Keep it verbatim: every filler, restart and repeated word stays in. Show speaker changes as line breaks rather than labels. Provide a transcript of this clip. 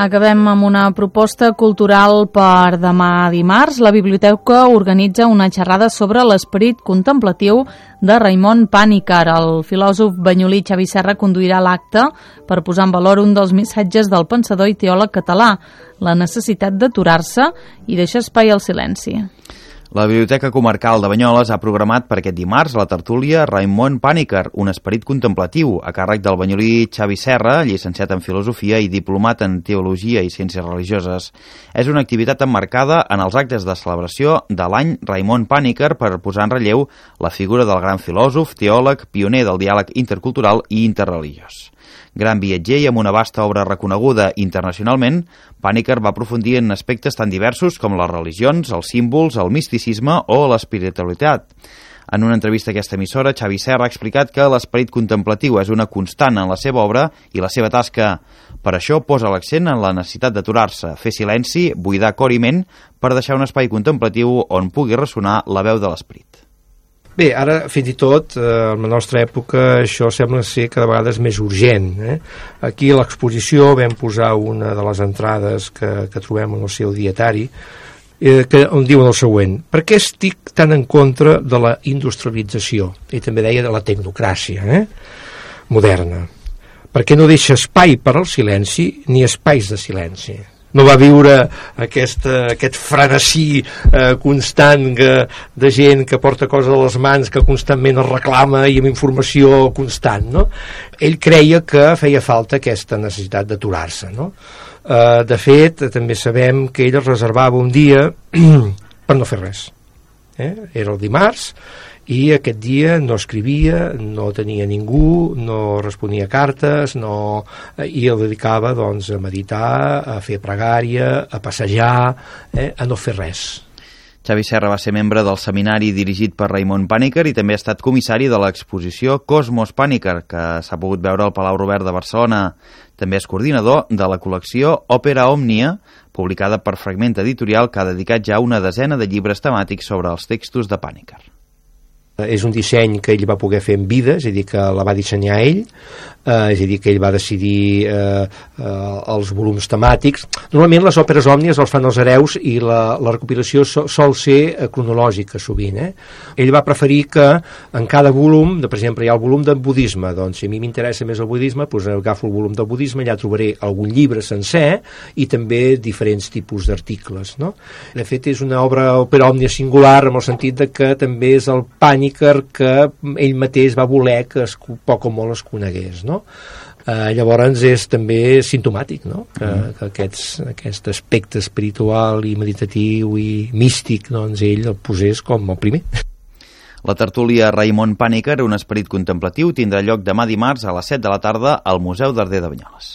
Acabem amb una proposta cultural per demà dimarts. La Biblioteca organitza una xerrada sobre l'esperit contemplatiu de Raimon Pàniker. El filòsof banyolí Xavi Serra conduirà l'acte per posar en valor un dels missatges del pensador i teòleg català, la necessitat d'aturar-se i deixar espai al silenci.
La Biblioteca Comarcal de Banyoles ha programat per aquest dimarts la tertúlia Raimon Pàniker, un esperit contemplatiu, a càrrec del banyolí Xavi Serra, llicenciat en Filosofia i diplomat en Teologia i Ciències Religioses. És una activitat emmarcada en els actes de celebració de l'any Raimon Pàniker per posar en relleu la figura del gran filòsof, teòleg, pioner del diàleg intercultural i interreligiós. Gran viatger i amb una vasta obra reconeguda internacionalment, Pàniker va aprofundir en aspectes tan diversos com les religions, els símbols, el misticisme o l'espiritualitat. En una entrevista a aquesta emissora, Xavi Serra ha explicat que l'esperit contemplatiu és una constant en la seva obra i la seva tasca. Per això posa l'accent en la necessitat d'aturar-se, fer silenci, buidar cor i ment per deixar un espai contemplatiu on pugui ressonar la veu de l'esperit.
Bé, ara, fins i tot, eh, en la nostra època, això sembla ser cada vegada més urgent. Eh? Aquí a l'exposició vam posar una de les entrades que, que trobem en el seu dietari, eh, que, on diuen el següent: per què estic tan en contra de la industrialització? I també deia de la tecnocràcia eh? moderna. Per què no deixa espai per al silenci ni espais de silenci? No va viure aquesta, aquest frenesí eh, constant que, de gent que porta coses a les mans, que constantment es reclama i amb informació constant, no? Ell creia que feia falta aquesta necessitat d'aturar-se, no? Eh, de fet, també sabem que ell es reservava un dia per no fer res. Eh? Era el dimarts i aquest dia no escrivia, no tenia ningú, no responia cartes, no, i el dedicava doncs, a meditar, a fer pregària, a passejar, eh, a no fer res.
Xavi Serra va ser membre del seminari dirigit per Raimon Pàniker i també ha estat comissari de l'exposició Cosmos Pàniker, que s'ha pogut veure al Palau Robert de Barcelona. També és coordinador de la col·lecció Òpera Òmnia, publicada per Fragment Editorial, que ha dedicat ja una desena de llibres temàtics sobre els textos de Pàniker.
És un disseny que ell va poder fer en vida, és a dir, que la va dissenyar ell, eh, és a dir, que ell va decidir eh, eh, els volums temàtics. Normalment les òperes òmnies els fan els hereus i la, la recopilació so, sol ser eh, cronològica sovint. Eh? Ell va preferir que en cada volum, de, per exemple, hi ha el volum del budisme, doncs si a mi m'interessa més el budisme, doncs agafo el volum del budisme, allà trobaré algun llibre sencer i també diferents tipus d'articles. No? De fet, és una obra òpera òmnia singular en el sentit de que també és el Pàniker que ell mateix va voler que es, poc o molt es conegués, no? Eh, llavors és també simptomàtic, no? Que, mm. que aquests, aquest aspecte espiritual i meditatiu i místic, doncs ell el posés com el primer.
La tertúlia Raimon Pàniker, un esperit contemplatiu, tindrà lloc demà dimarts a les set de la tarda al Museu d'Arder de Banyoles.